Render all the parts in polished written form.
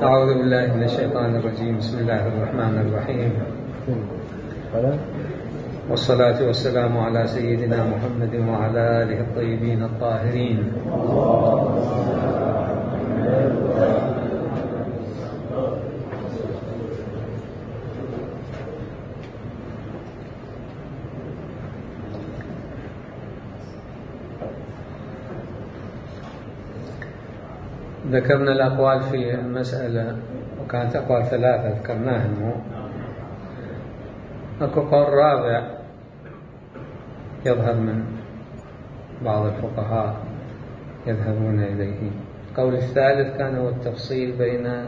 أعوذ بالله من الشيطان الرجيم. بسم الله الرحمن الرحيم، والصلاة والسلام على سيدنا محمد وعلى آله الطيبين الطاهرين. ذكرنا الأقوال في المسألة، وكانت أقوال ثلاثة ذكرناها. أكو قول رابع يظهر من بعض الفقهاء يذهبون إليه. القول الثالث كان هو التفصيل بين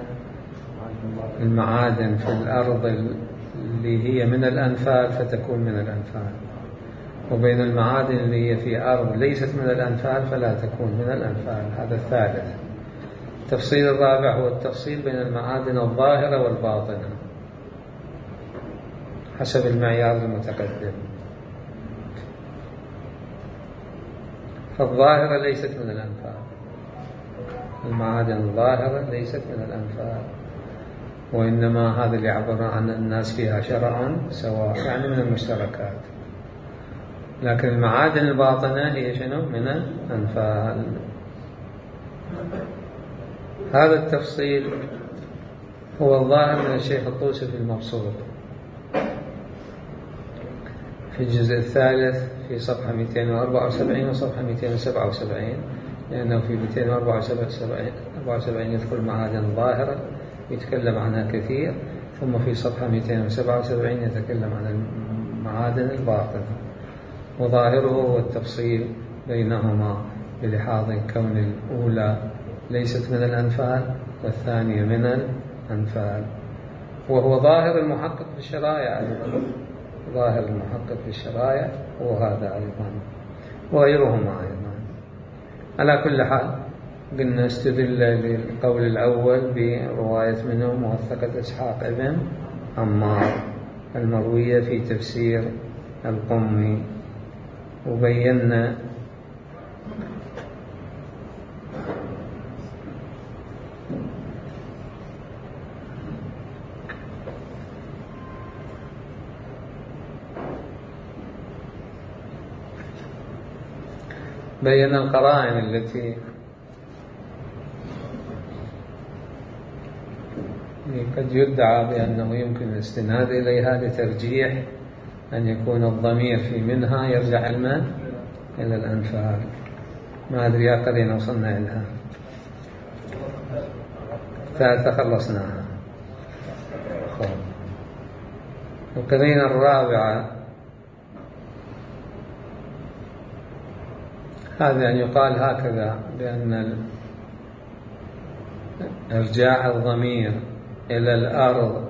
المعادن في الأرض اللي هي من الأنفال فتكون من الأنفال، وبين المعادن اللي هي في أرض ليست من الأنفال فلا تكون من الأنفال. هذا الثالث. التفصيل الرابع هو التفصيل بين المعادن الظاهرة والباطنة حسب المعيار المتقدم. فالظاهرة ليست من الأنفال، المعادن الظاهرة ليست من الأنفال، وإنما هذا اللي يعبر عن الناس فيها شرعا سواء، يعني من المشتركات. لكن المعادن الباطنة هي شنو؟ من الأنفال. هذا التفصيل هو الظاهر من الشيخ الطوسي في المبسوط في الجزء الثالث في صفحة 274 وصفحة 277، لأنه في 274 يذكر المعادن ظاهرة يتكلم عنها كثير، ثم في صفحة 277 يتكلم عن المعادن الباطنة. وظاهره هو التفصيل بينهما بلحاظ كون الأولى ليست من الأنفال والثانية من الأنفال، وهو ظاهر المحقق في الشرائع أيضا. ظاهر المحقق في الشرائع هو هذا أيضا، وغيرهما أيضا. على كل حال قلنا استدل للقول الأول برواية منه موثقة إسحاق ابن عمار المروية في تفسير القمي، وبينا القرائن التي قد يدعى بأنه يمكن الاستناد إليها لترجيح أن يكون الضمير في منها يرجع إلى الأنفال. ما أدري يا قرينا وصلنا إليها، فتخلصناها. القرينة الرابعة هذا أن يقال هكذا بأن إرجاع الضمير إلى الأرض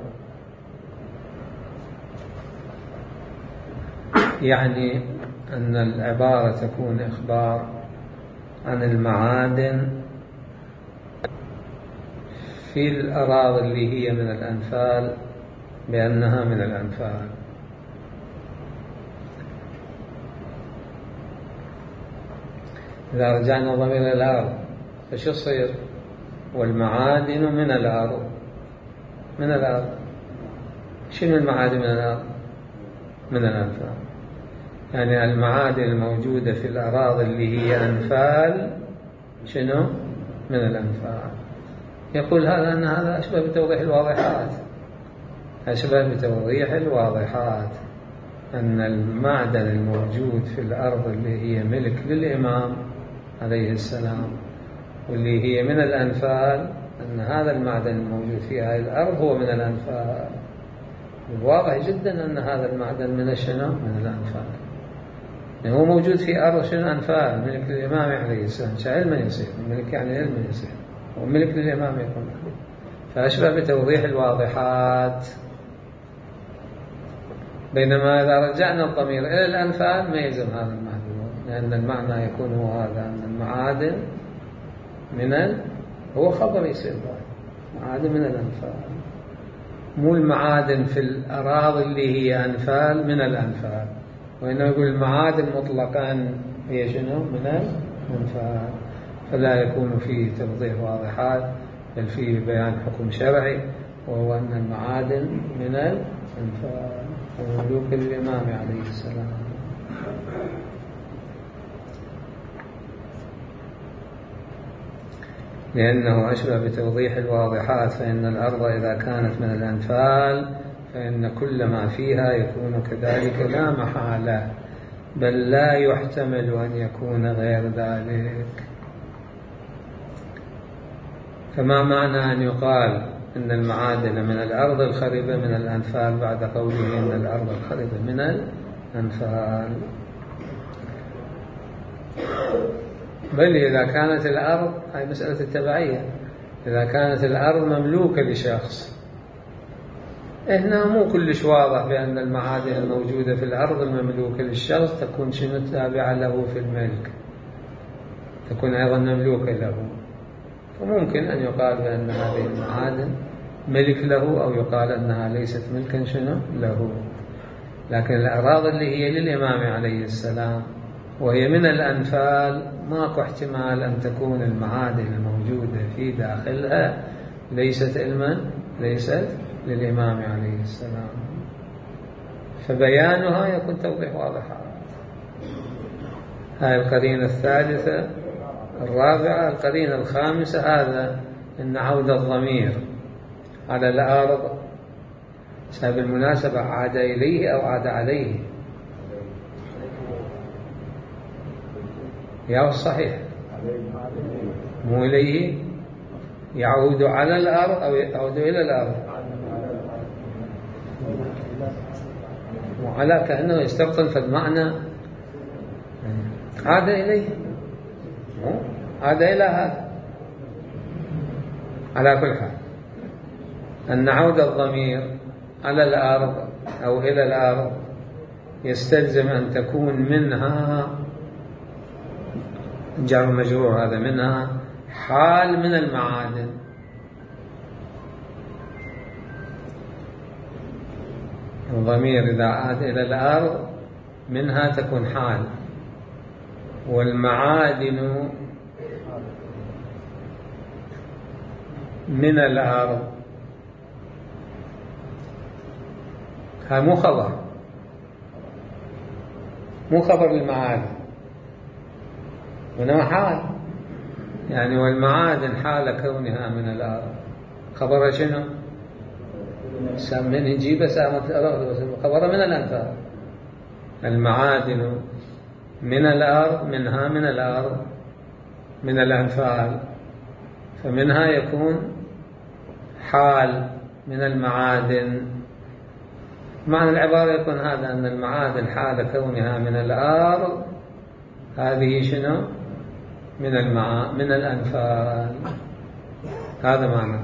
يعني أن العبارة تكون إخبار عن المعادن في الأراضي اللي هي من الأنفال بأنها من الأنفال. إذا رجعنا الضمير إلى الأرض فشو يصير؟ والمعادن من الأرض. من الأرض شنو المعادن من الأرض؟ من الأنفال. يعني المعادن الموجودة في الأراضي اللي هي أنفال شنو؟ من الأنفال. يقول هذا أن هذا أشبه بتوضيح الواضحات، أشبه بتوضيح الواضحات، أن المعدن الموجود في الأرض اللي هي ملك للإمام عليه السلام واللي هي من الأنفال، أن هذا المعدن الموجود في هذه الأرض هو من الأنفال. الواضح جدا أن هذا المعدن من شنو؟ من الأنفال. يعني هو موجود في أرض شنو؟ أنفال، ملك للإمام عليه السلام. علما يصير الملك، يعني علما يصير وملك للإمام يكون، فأشبه بتوضيح الواضحات. بينما إذا رجعنا الضمير إلى الأنفال ما يلزم هذا المعنى، لأن المعنى يكون هو هذا، أن المعادن هو خبر يصير معادن من الأنفال، مو المعادن في الأراضي اللي هي أنفال من الأنفال، وإنه يقول المعادن مطلقا هي شنو؟ من الأنفال. فلا يكون فيه توضيح واضحات بل فيه بيان حكم شرعي، وهو أن المعادن من الأنفال وملوك الإمام عليه السلام. لأنه أشبه بتوضيح الواضحات، فإن الأرض إذا كانت من الأنفال فإن كل ما فيها يكون كذلك لا محالة، بل لا يحتمل أن يكون غير ذلك. فما معنى أن يقال إن المعادن من الأرض الخربة من الأنفال بعد قوله إن الأرض الخربة من الأنفال؟ بل إذا كانت الأرض، هذه مسألة التبعية، إذا كانت الأرض مملوكة لشخص، هنا مو كلش واضح بأن المعادن الموجودة في الأرض المملوكة للشخص تكون شنو تابعة له في الملك، تكون أيضا مملوكة له. فممكن أن يقال بأن هذه المعادن ملك له، أو يقال أنها ليست ملكا شنو له. لكن الأراضي اللي هي للإمام عليه السلام وهي من الأنفال ماكو احتمال أن تكون المعادن الموجودة في داخلها ليست للإمام عليه السلام، فبيانها يكون توضيح واضح. هذه القرينة الثالثة. الرابعة القرينة الخامسة، هذا أن عود الضمير على الأرض بالمناسبة عاد إليه أو عاد عليه؟ يا الصحيح مو إليه، يعود على الأرض أو يعود إلى الأرض، وعلى كأنه يستبطن في المعنى عاد إليه، عاد إلى هذا. على كل حال أن عود الضمير على الأرض أو إلى الأرض يستلزم أن تكون منها جار مجرور، هذا منها حال من المعادن. الضمير إذا عاد إلى الأرض منها تكون حال، والمعادن من الأرض هذا مو خبر المعادن، وإنما حال. يعني والمعادن حال كونها من الأرض خبر شنو؟ من نجيب سامة الأرض، خبر من الأنفال. المعادن من الأرض، منها من الأرض من الأنفال، فمنها يكون حال من المعادن. معنى العبارة يكون هذا، أن المعادن حال كونها من الأرض هذه شنو؟ من الأنفال. هذا معنى.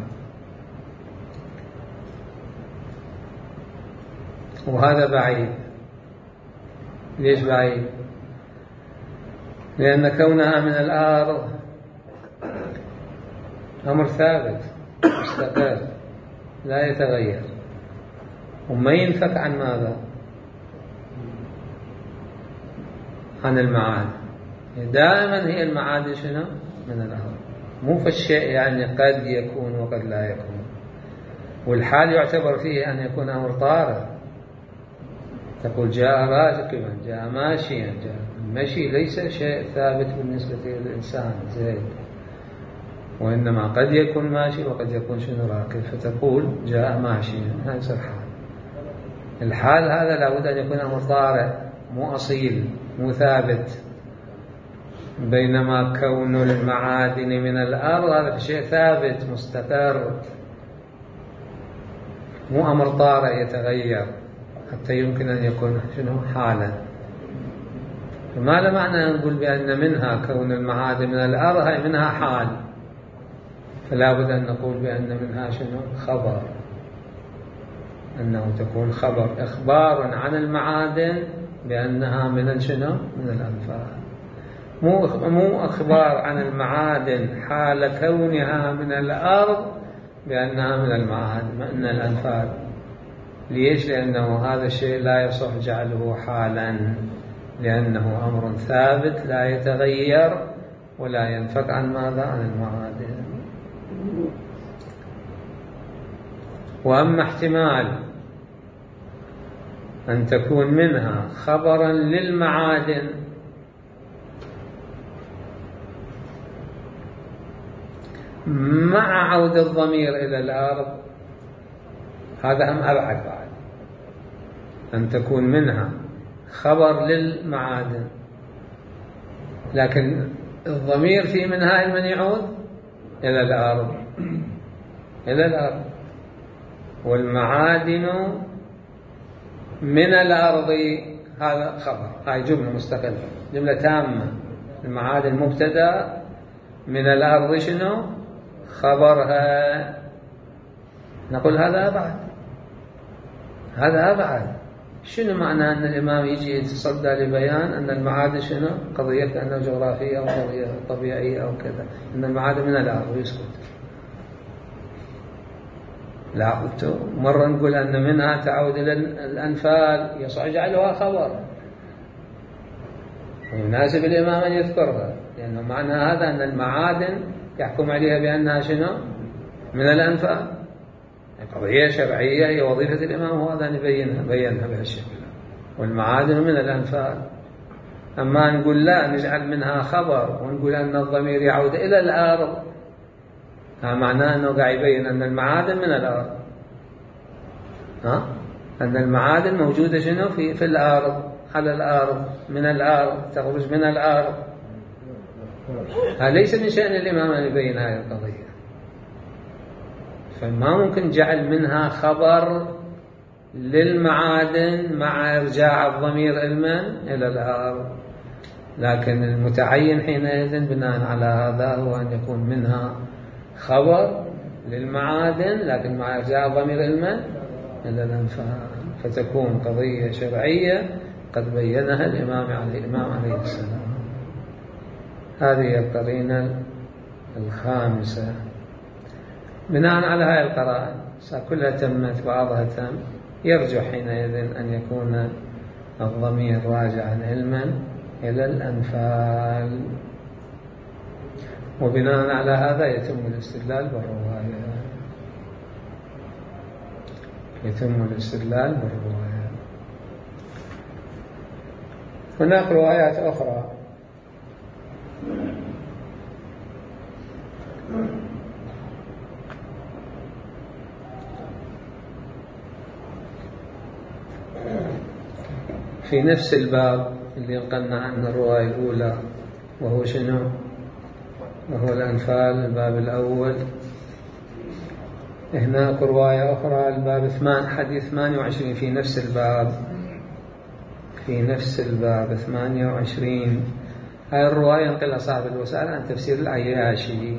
وهذا بعيد. ليش بعيد؟ لأن كونها من الأرض أمر ثابت مستقر لا يتغير، وما ينفك عن ماذا؟ عن المعادن. دائما هي المعادن شنو؟ من الأرض. مو في الشيء يعني قد يكون وقد لا يكون. والحال يعتبر فيه أن يكون أمر طارئ. تقول جاء راكبا، جاء ماشيا، جاء المشي ليس شيء ثابت بالنسبة للإنسان زيد، وإنما قد يكون ماشي وقد يكون شنو راكب، فتقول جاء ماشيا، هذا يصير حال. الحال هذا لابد أن يكون أمر طارئ مو أصيل مو ثابت، بينما كون المعادن من الأرض هذا شيء ثابت مستقر، مو أمر طارئ يتغير حتى يمكن أن يكون شنو حالا. فما له معنى أن نقول بأن منها كون المعادن من الأرض هي منها حال، فلا بد أن نقول بأن منها شنو خبر، أنه تكون خبر إخبار عن المعادن بأنها من شنو من الأنفال، مو أخبار عن المعادن حال كونها من الأرض بأنها من المعادن من الأنفال. ليش؟ لأنه هذا الشيء لا يصح جعله حالا، لأنه أمر ثابت لا يتغير ولا ينفك عن ماذا؟ عن المعادن. وأما احتمال أن تكون منها خبرا للمعادن مع عود الضمير إلى الأرض، هذا هم أبعد بعد. أن تكون منها خبر للمعادن لكن الضمير في منها من يعود إلى الأرض، إلى الأرض، والمعادن من الأرض، هذا خبر، هاي جملة مستقلة، جملة تامة. المعادن مبتدأ، من الأرض شنو خبرها. نقول هذا أبعد، هذا أبعد. شنو معنى أن الإمام يجي يتصدى لبيان أن المعادن شنو قضية كأنه جغرافية أو قضية طبيعية أو كذا، أن المعادن من الأرض ويسكت؟ لا، مرة نقول أن منها تعود إلى الأنفال، يصح يجعلها خبر، ويناسب الإمام أن يذكرها، لأنه معنى هذا أن المعادن يحكم عليها بأنها شنو من الأنفال، قضية شرعية هي وظيفة الإمام، وهذا أن بينها بهالشكل، والمعادن من الأنفال. أما نقول لا، نجعل منها خبر ونقول أن الضمير يعود إلى الأرض، هذا معناه أنه قاعد يبين أن المعادن من الأرض، أن المعادن موجودة شنو في الأرض، على الأرض، من الأرض، تخرج من الأرض. هذا ليس من شأن الإمام أن يبين هذه القضية، فما ممكن جعل منها خبر للمعادن مع إرجاع الضمير إلى الأرض. لكن المتعين حينئذ بناء على هذا هو أن يكون منها خبر للمعادن لكن مع إرجاع الضمير إلى الأنفال، فتكون قضية شرعية قد بينها الإمام عليه السلام. هذه القرينة الخامسة. بناء على هذه القرائن كلها تمت، بعضها تم، يرجح حينئذ أن يكون الضمير راجعا علما إلى الأنفال، وبناء على هذا يتم الاستدلال بالرواية. هناك روايات أخرى في نفس الباب اللي نقلنا عنه الرواية الأولى، وهو شنو؟ وهو الأنفال، الباب الأول. هناك رواية أخرى الباب حديث 28 في نفس الباب 28. هاي الرواية نقلها صاحب الوسائل عن تفسير العياشي،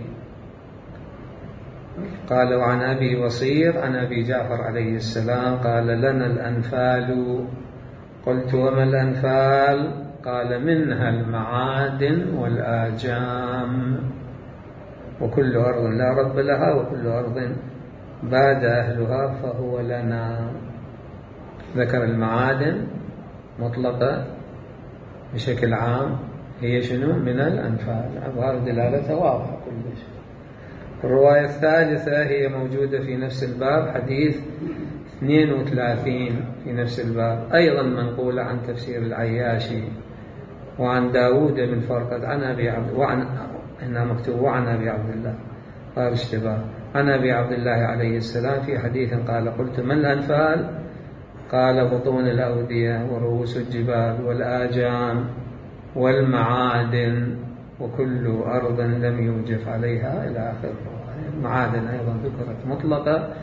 قال: وعن أبي وصير عن أبي جعفر عليه السلام قال: لنا الأنفال. قلت: وما الأنفال؟ قال: منها المعادن والآجام، وكل أرض لا رب لها وكل أرض باد أهلها فهو لنا. ذكر المعادن مطلقة بشكل عام، هي شنو؟ من الأنفال. أظهر دلالتها واضحة كل شيء. الرواية الثالثة هي موجودة في نفس الباب، حديث 32 في نفس الباب، أيضا منقولة عن تفسير العياشي وعن داود بن فرقد عن أبي عبد هنا مكتوب وعن أبي عبد الله، قال اشتباه، عن أبي عبد الله عليه السلام في حديث قال: قلت: من الأنفال؟ قال: بطون الأودية ورؤوس الجبال والآجام والمعادن وكل أرض لم يوجف عليها، إلى آخر. المعادن أيضا ذكرت مطلقة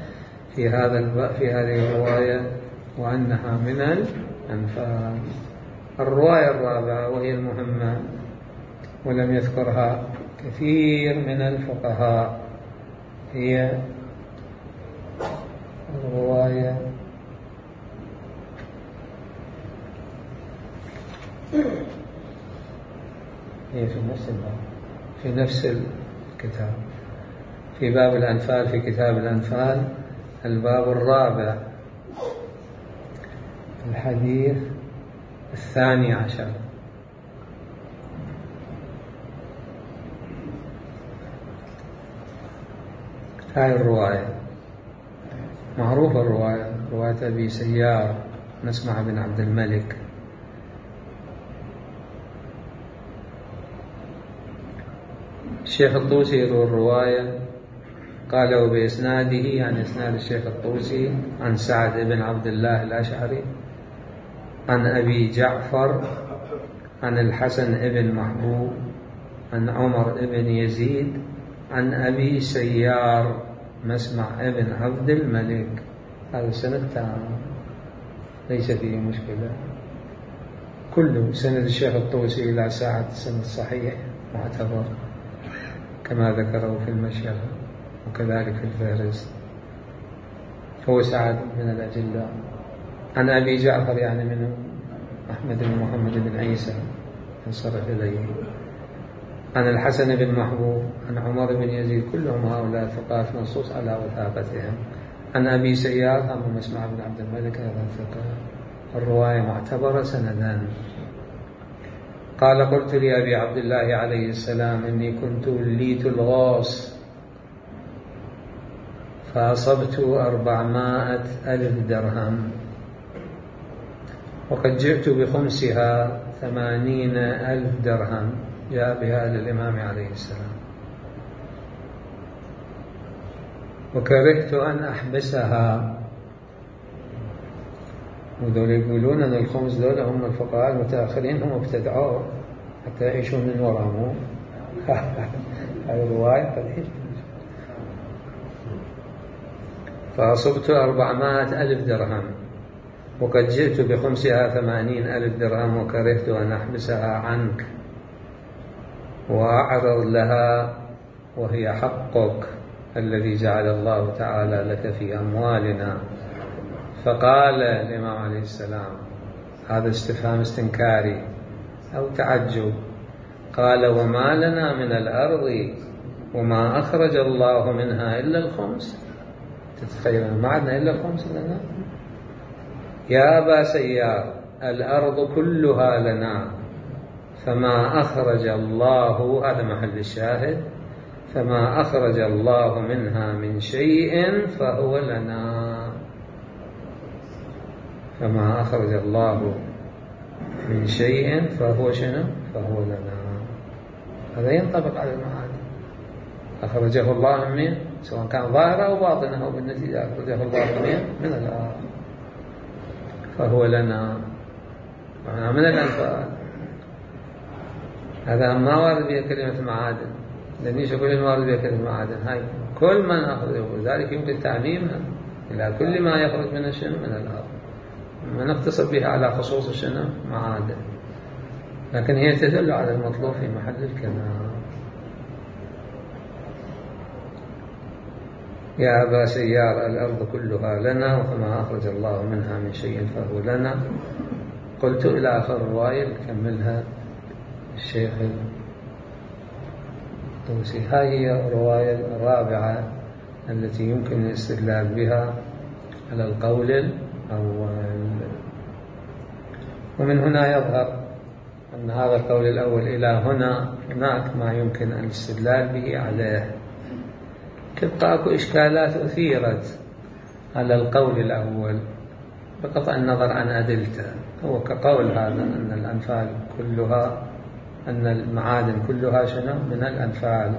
في هذه الرواية وأنها من الأنفال. الرواية الرابعة وهي المهمة ولم يذكرها كثير من الفقهاء، هي الرواية هي في نفس الكتاب، في باب الأنفال، في كتاب الأنفال، الباب الرابع، الحديث 12. هاي الرواية معروفة الرواية، رواية أبي سيار مسمع بن عبد الملك. الشيخ الطوسي يروي الرواية قال وبإسناده، يعني إسناد الشيخ الطوسي، عن سعد بن عبد الله الأشعري عن أبي جعفر عن الحسن بن محبوب عن عمر بن يزيد عن أبي سيار مسمع بن عبد الملك. هذا السند تام ليس فيه مشكلة، كله سند الشيخ الطوسي إلى سعد سند صحيح معتبر كما ذكره في المشيخة وكذلك في الفهرست. هو سعد من الأجلاء. عن أبي جعفر يعني من أحمد بن محمد بن عيسى انصرف إليه. عن الحسن بن محبوب عن عمر بن يزيد، كلهم هؤلاء ثقات منصوص على وثاقتهم. عن أبي سيار أبو مسمع بن عبد الملك هذا ثقة، الرواية معتبرة سندا. قال قلت لأبي عبد الله عليه السلام إني كنت وليت الغاص فأصبت 400,000 درهم وقد جئت بخمسها 80,000 درهم. جاء بها للإمام عليه السلام وكرهت أن أحبسها. وذول يقولون أن الخمس دول هم الفقهاء المتأخرين هم ابتدعوه حتى يعيشون من وراءه. هذه الرواية قد فأصبت 400,000 درهم وقد جئت بخمسها 80,000 درهم وكرهت أن أحبسها عنك وأعرض لها وهي حقك الذي جعل الله تعالى لك في أموالنا. فقال الإمام عليه السلام، هذا استفهام استنكاري أو تعجب، قال وما لنا من الأرض وما أخرج الله منها إلا الخمس. تتخيل ما عندنا إلا الخمس لنا؟ يا أبا سيار الأرض كلها لنا فما أخرج الله، هذا محل الشاهد، فما أخرج الله منها من شيء فهو لنا. فما أخرج الله من شيء فهو شنو؟ فهو لنا. هذا ينطبق على المعاني. أخرجه الله من، سواء كان ظاهرا أو باطنا، أو بالنتيجة أخرجه الله من الأرض فهو لنا، معناه من الأنفال. هذا ما وارد به كلمة معادن، لأنيش كل ما وارد به كلمة معادن، هاي كل ما نأخذه، وذلك يمكن تعميمها إلى كل ما يخرج من الشنو؟ من الأرض. ما نقتصر بها على خصوص الشنو؟ معادن، لكن هي تدل على المطلوب في محل الكلام. يا أبا سيار الأرض كلها لنا وما أخرج الله منها من شيء فهو لنا. قلت إلى آخر الرواية كملها الشيخ الطوسي. هذه هي الرواية الرابعة التي يمكن الاستدلال بها على القول الأول. ومن هنا يظهر أن هذا القول الأول إلى هنا هناك ما يمكن الاستدلال به عليه. تبقى أكو إشكالات أثيرت على القول الأول بقطع النظر عن أدلته. هو كقول هذا أن الأنفال كلها، أن المعادن كلها شنو؟ من الأنفال.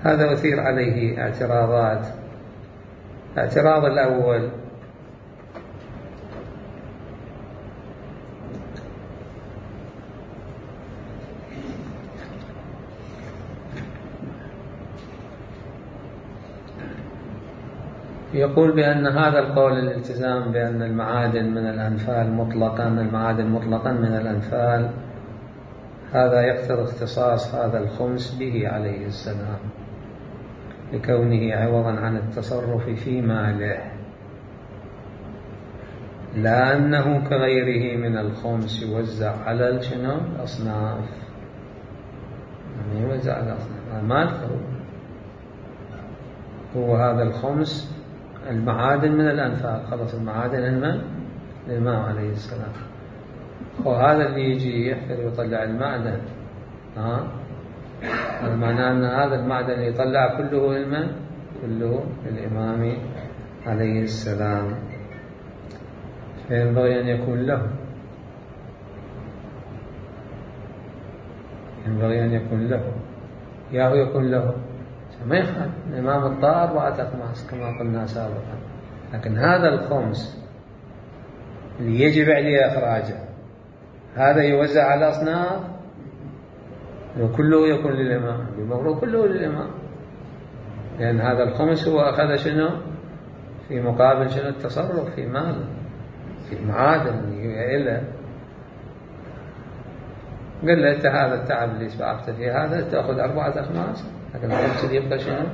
هذا أثير عليه اعتراضات. الاعتراض الأول يقول بأن هذا القول الالتزام بأن المعادن من الأنفال مطلقا، المعادن مطلقا من الأنفال، هذا يقتضي اختصاص هذا الخمس به عليه السلام لكونه عوضا عن التصرف في ماله، لا أنه كغيره من الخمس يوزع على الأصناف، يعني يوزع على الأصناف مالته هو هذا الخمس. المعادن من الأنفال، خلص المعادن للإمام عليه السلام. وهذا اللي يجي يحفر ويطلع المعدن، هذا معناه أن هذا المعدن يطلع كله لمن؟ كله للإمام عليه السلام، فينبغي أن يكون له، ينبغي أن يكون له، يا هو يكون له، ما يخالف الإمام الطاهر 4 أخماس كما قلنا سابقا، لكن هذا الخمس اللي يجب عليه إخراجه هذا يوزع على الأصناف، وكله يكون للإمام، المفروض كله للإمام، لأن هذا الخمس هو أخذ شنو في مقابل شنو؟ التصرف في مال، في معادن إله. قال له أنت هذا التعب اللي سبعت فيه هذا تأخذ 4 أخماس، لكن الخمس اللي يبقى شنو؟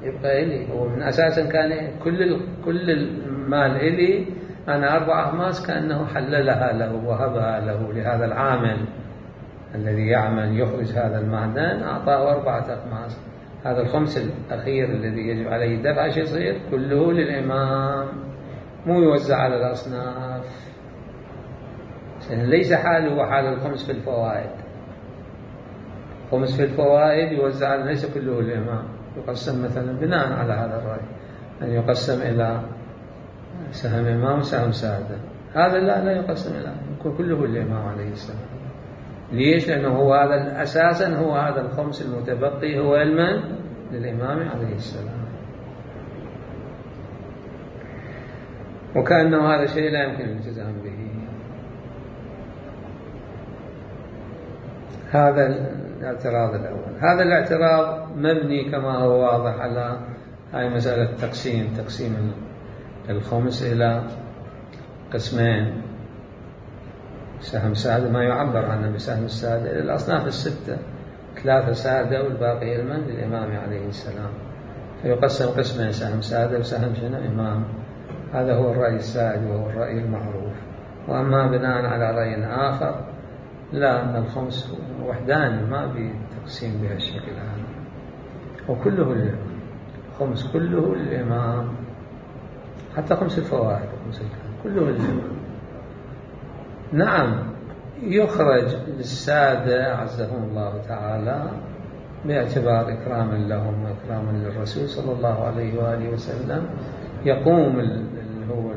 يبقى إلي. هو من أساسا كان كل المال إلي، أنا 4 أخماس كأنه حللها له وهبها له لهذا العامل الذي يعمل يخرج هذا المعدن، أعطاه 4 أخماس. هذا الخمس الأخير الذي يجب عليه الدفع شو يصير؟ كله للإمام، مو يوزع على الأصناف. ليس حاله حال الخمس في الفوائد. خمس في الفوائد يوزع ليس كله للإمام، يقسم مثلا بناء على هذا الرأي أن يقسم إلى سهم إمام وسهم سادة. هذا لا يقسم إلى، يكون كله للإمام عليه السلام. ليش؟ لأنه هو هذا أساسا، هو هذا الخمس المتبقي هو المن للإمام عليه السلام. وكأنه هذا شيء لا يمكن الالتزام به. هذا الاعتراض الأول. هذا الاعتراض مبني كما هو واضح على هاي مسألة تقسيم الخمس إلى قسمين، سهم سادة ما يعبر عنه بسهم السادة إلى الأصناف الستة، 3 سادة والباقي المن للإمام عليه السلام، فيقسم قسمين، سهم سادة وسهم شنو إمام. هذا هو الرأي السائد وهو الرأي المعروف. وأما بناء على رأي آخر لا، أن الخمس وحدان ما بتقسيم بهالشكل هذا، وكله للإمام، الخمس كله للإمام، حتى خمس الفوائد كله للإمام. نعم يخرج للسادة عزهم الله تعالى باعتبار إكراما لهم وإكراما للرسول صلى الله عليه وآله وسلم، يقوم هو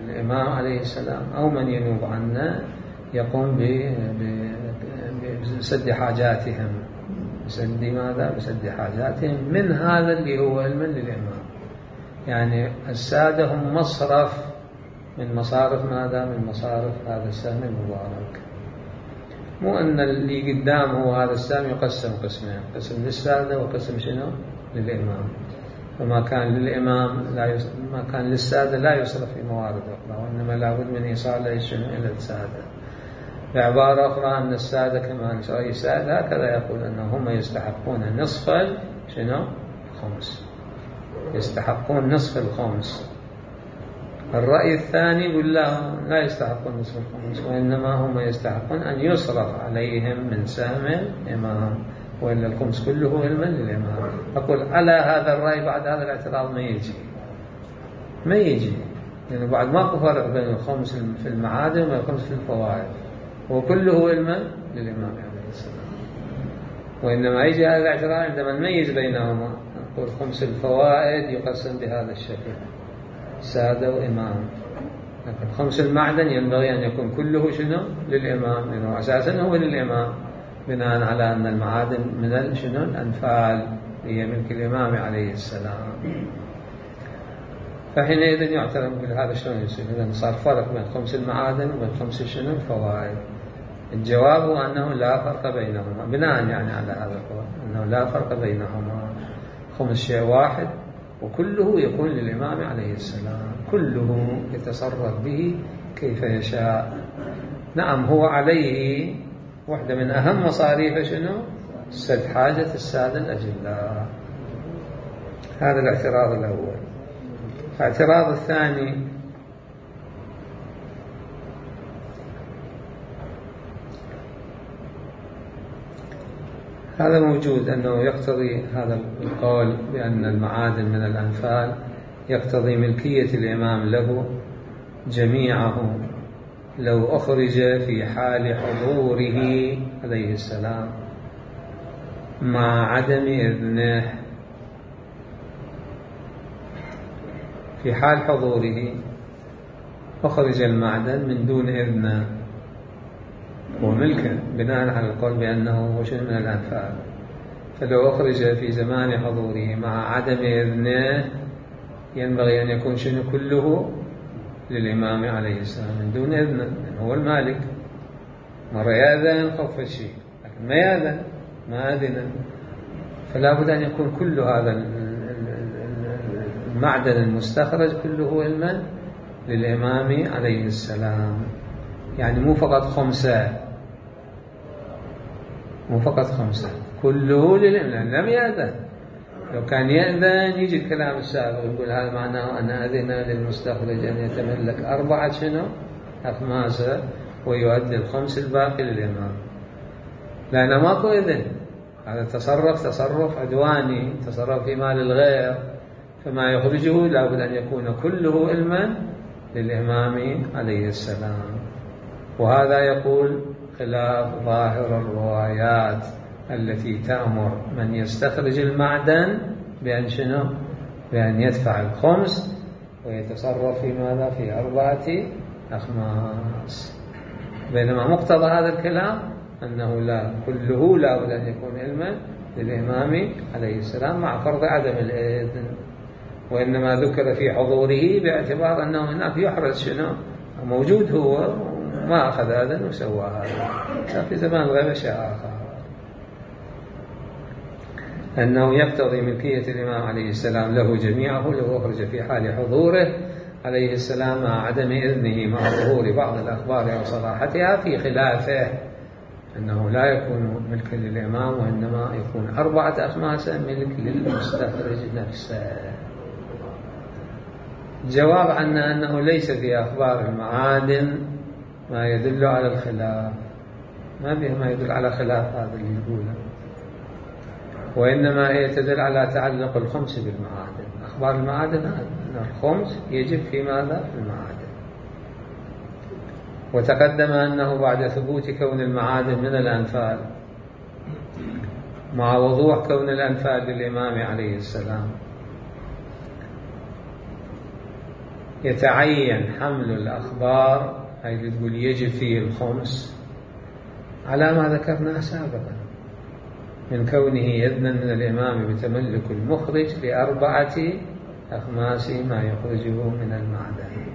الإمام عليه السلام أو من ينوب عنه يقوم بسد حاجاتهم. بسد ماذا؟ بسد حاجاتهم من هذا اللي هو المن للإمام. يعني السادة هم مصرف من مصارف ماذا؟ من مصارف هذا السهم المبارك. مو أن اللي قدام هو هذا السهم يقسم قسمين، قسم للسادة وقسم شنو؟ للإمام. فما كان للإمام ما كان للسادة لا يصرف في موارد أخرى، وإنما لابد من إيصاله شنو؟ إلى السادة. بعبارة أخرى أن السادة كما رأي السائل هكذا يقول أنهم يستحقون نصف شنو؟ الخمس، يستحقون نصف الخمس. الرأي الثاني يقول لا يستحقون نصف الخمس، وإنما هم يستحقون أن يصرف عليهم من سهم الإمام، وإلا الخمس كله علما للإمام. أقول على هذا الرأي بعد هذا الاعتراض ما يجي لأنه يعني بعد ماكو فرق بين الخمس في المعادن والخمس في الفوائد، وكله علما للإمام عليه السلام. وإنما يجي هذا الاعتراض عندما نميز بينهما، نقول خمس الفوائد يقسم بهذا الشكل، سادة وإمام، لكن خمس المعدن ينبغي أن يكون كله شنو؟ للإمام، لأنه أساسا هو للإمام، بناء على أن المعادن من شنو؟ الأنفال هي ملك الإمام عليه السلام. فحينئذ يعترف بهذا شلون يصير؟ إذا صار فرق بين خمس المعادن وبين خمس شنو؟ الفوائد. الجواب هو أنه لا فرق بينهما، بناء يعني على هذا القول أنه لا فرق بينهما، خمس شيء واحد وكله يكون للإمام عليه السلام، كله يتصرف به كيف يشاء. نعم هو عليه واحدة من أهم مصاريف شنو؟ سد حاجة السادة الأجلاء. هذا الاعتراض الأول. الاعتراض الثاني هذا موجود، أنه يقتضي هذا القول بأن المعادن من الأنفال يقتضي ملكية الإمام له جميعه لو أخرج في حال حضوره عليه السلام مع عدم إذنه. في حال حضوره أخرج المعدن من دون إذنه وملكه بناء على القول بأنه وشن من الأنفال. فلو أخرج في زمان حضوره مع عدم إذنه ينبغي أن يكون شنو كله للإمام عليه السلام من دون إذنه، لأنه هو المالك. مرة يأذن خف الشيء، لكن ما يأذن، ما أذن، فلا بد أن يكون كل هذا المعدن المستخرج كله علما للإمام عليه السلام. يعني مو فقط خمسة، مو فقط خمسة، كله للإمام. لم يأذن، لو كان يأذن يجي الكلام السابق يقول هذا معناه أن أذن للمستخرج أن يتملك 4 شنو أخماسة ويؤدي الخمس الباقي للإمام، لأنه ماكو إذن. هذا تصرف عدواني، تصرف في مال الغير، فما يخرجه لابد أن يكون كله علما للإمام عليه السلام. وهذا يقول خلاف ظاهر الروايات التي تأمر من يستخرج المعدن بأن شنو؟ بأن يدفع الخمس ويتصرف في ماذا؟ في 4 أخماس. بينما مقتضى هذا الكلام أنه لا، كله لا بد أن يكون علما للإمام عليه السلام مع فرض عدم الإذن، وإنما ذكر في حضوره باعتبار أنه هناك يحرز شنو؟ موجود هو ما أخذ هذا وسوى هذا. في زمان الغيبة شيء آخر، أنه يقتضي ملكية الإمام عليه السلام له جميعه لو أخرج في حال حضوره عليه السلام مع عدم إذنه مع ظهور بعض الأخبار أو صراحتها، في خلافه أنه لا يكون ملكا للإمام وإنما يكون 4 أخماس ملك للمستخرج نفسه. جواب عنا أنه ليس في أخبار المعادن ما يدل على الخلاف، ما فيه ما يدل على خلاف هذا اللي يقوله، وإنما هي تدل على تعلق الخمس بالمعادن. أخبار المعادن أن الخمس يجب في ماذا؟ في المعادن. وتقدم أنه بعد ثبوت كون المعادن من الأنفال مع وضوح كون الأنفال للإمام عليه السلام يتعين حمل الأخبار أي اللي تقول يجب فيه الخمس على ما ذكرناه سابقا من كونه إذنا من الإمام بتملك المخرج ل4 أخماس ما يخرجه من المعدن.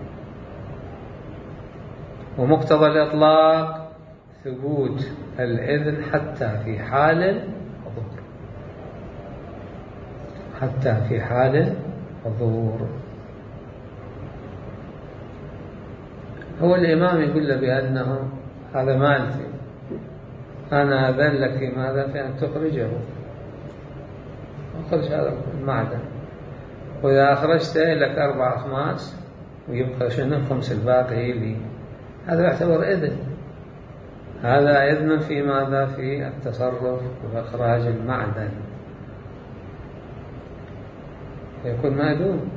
ومقتضى الإطلاق ثبوت الإذن حتى في حال الحضور، حتى في حال الحضور. هو الإمام يقول له بأنه هذا مالتي، أنا أذن لك في ماذا؟ في أن تخرجه، أخرج هذا المعدن، وإذا أخرجت لك 4 أخماس ويبقى شنو؟ الخمس الباقي لي. هذا يعتبر إذن، هذا إذن في ماذا؟ في التصرف وإخراج المعدن، يكون مأذون.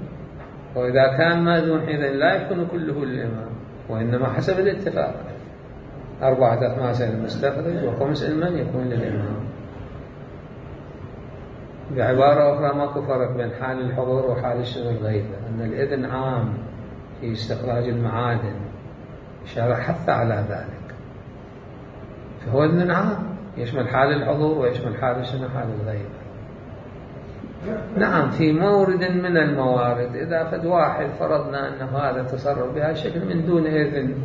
وإذا كان مأذون حينئذ لا يكون كله للإمام، وإنما حسب الاتفاق 4 أخماس للمستخرج وخمس المن يكون للإمام. بعبارة أخرى ماكو فرق بين حال الحضور وحال الشغل الغيبة، أن الإذن عام في استخراج المعادن، إشارة حتى على ذلك، فهو إذن عام يشمل حال الحضور ويشمل حال شنو؟ حال الغيبة. نعم في مورد من الموارد إذا فد واحد فرضنا أنه هذا تصرف بهذا الشكل من دون إذن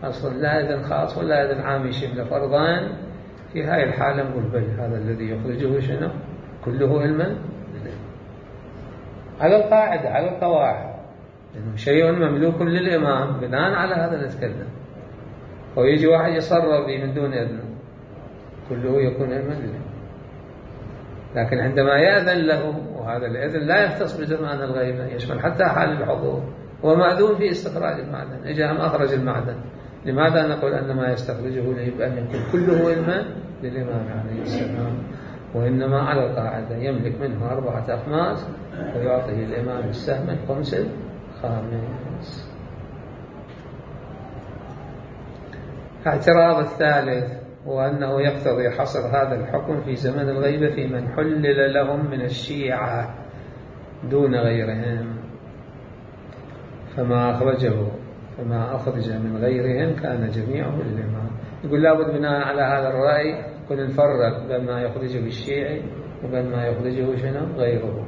أصلا، لا إذن خاص ولا إذن عام يشمل فرضان، في هاي الحالة نقول بل هذا الذي يخرجه شنو؟ كله علما على القاعدة، على القواعد، إنه شيء مملوك للإمام بناء على هذا نتكلم. ويجي واحد يصرف به من دون إذن كله يكون علما له. لكن عندما يأذن له، وهذا الإذن لا يختص بزمان الغيبة، يشمل حتى حال الحضور، ومأذون في استخراج المعدن، إجا هم أخرج المعدن، لماذا نقول أن ما يستخرجه يجب أن يكون كله علما للإمام عليه السلام؟ وإنما على القاعدة يملك منه 4 أخماس ويعطيه الإمام السهم الخمس الخامس. الاعتراض الثالث هو أنه يقتضي حصر هذا الحكم في زمن الغيبة في من حلل لهم من الشيعة دون غيرهم. فما أخرج من غيرهم كان جميعه للإمام. يقول لابد بناء على هذا الرأي كنا نفرق بين ما يخرجه الشيعي وبين ما يخرجه غيره.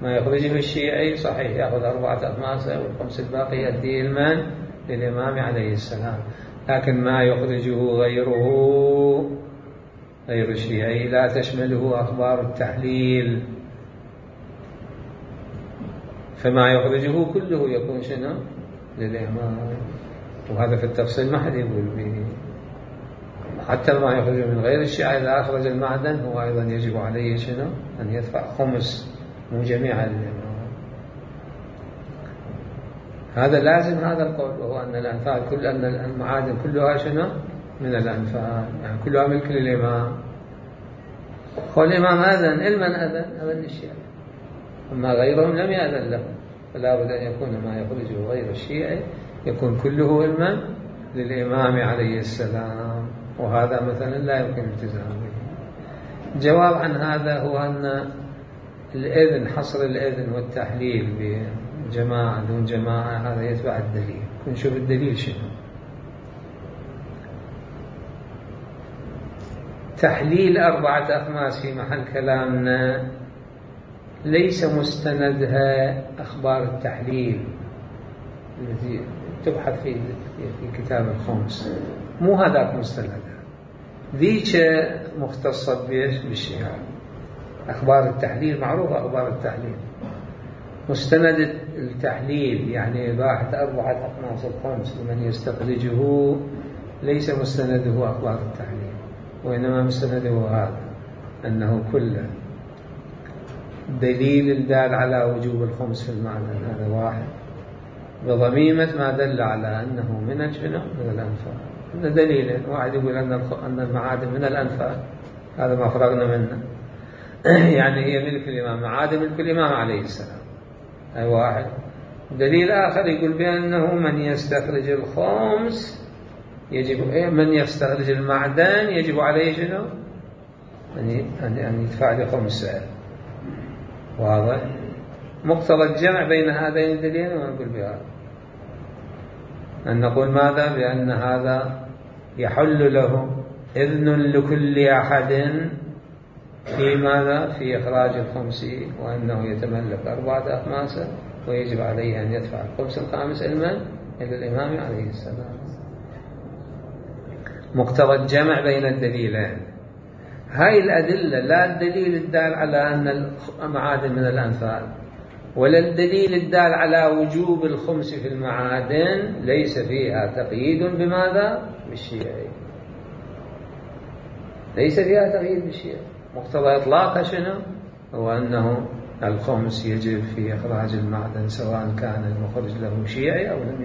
ما يخرجه الشيعي صحيح يأخذ 4 أخماسة والخمس الباقي يؤديه للإمام عليه السلام، لكن ما يخرجه غير الشيعي لا تشمله أخبار التحليل، فما يخرجه كله يكون للإمام. وهذا في التفصيل ما حد يقول به. حتى ما يخرجه من غير الشيعي إذا أخرج المعدن هو أيضا يجب عليه أن يدفع خمس مو جميعا للإمام. هذا لازم هذا القول، وهو أن الأنفال أن المعادن كلها من الأنفال، يعني كلها ملك للإمام. والإمام أذن أذن للشيعي، أما غيرهم لم يأذن لهم، فلا بد أن يكون ما يخرجه غير الشيعي يكون كله علما للإمام عليه السلام، وهذا مثلا لا يمكن الالتزام به. الجواب عن هذا هو أن الإذن، حصر الإذن والتحليل بجماعة دون جماعة هذا يتبع الدليل. نشوف الدليل شنو. تحليل 4 أخماس في محل كلامنا ليس مستندها أخبار التحليل التي تبحث في كتاب الخمس، مو هذاك مستندها، ذيك مختصة بالشيعة. أخبار التحليل معروفة، أخبار التحليل مستند التحليل يعني إباحة 4 أخماس الخمس لمن يستخرجه ليس مستنده أخبار التحليل، وإنما مستنده هذا أنه كله دليل الدال على وجوب الخمس في المعدن، هذا واحد، بضميمة ما دل على أنه من الأنفال. هذا دليل. واحد يقول أن المعادن من الأنفال، هذا ما فرغنا منه يعني هي ملك الإمام، معادن ملك الإمام عليه السلام، أي واحد. دليل آخر يقول بأنه من يستخرج الخمس من يستخرج المعدن يجب عليه أن يدفع له 5. واضح؟ مقتضى الجمع بين هذين الدليلين ونقول بهذا أن نقول ماذا؟ بأن هذا يحل له إذن لكل أحد في ماذا؟ في إخراج الخمس، وأنه يتملك 4 أخماسه ويجب عليه أن يدفع الخمس الخامس إلى الإمام عليه السلام. مقتضى الجمع بين الدليلين. هاي الأدلة لا الدليل الدال على أن المعادن من الأنفال ولا الدليل الدال على وجوب الخمس في المعادن ليس فيها تقييد بماذا؟ بالشيعي، ليس فيها تقييد بالشيعي. مقتضى إطلاقها شنو؟ هو أنه الخمس يجب في إخراج المعدن سواء كان المخرج له شيعي أو لم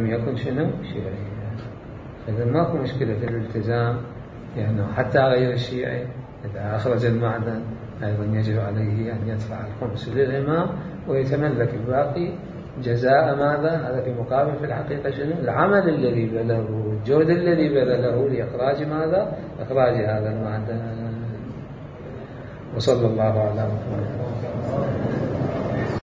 يكن شيعي، إذا ماكو مشكلة في الالتزام، لأنه يعني حتى غير الشيعي إذا أخرج المعدن أيضا يجب عليه أن يدفع الخمس للإمام ويتملك الباقي جزاء ماذا؟ هذا في مقابل في الحقيقة شنو؟ العمل الذي بذله، الجهد الذي بذله لإخراج ماذا؟ إخراج هذا المعدن. وصلى الله على محمد.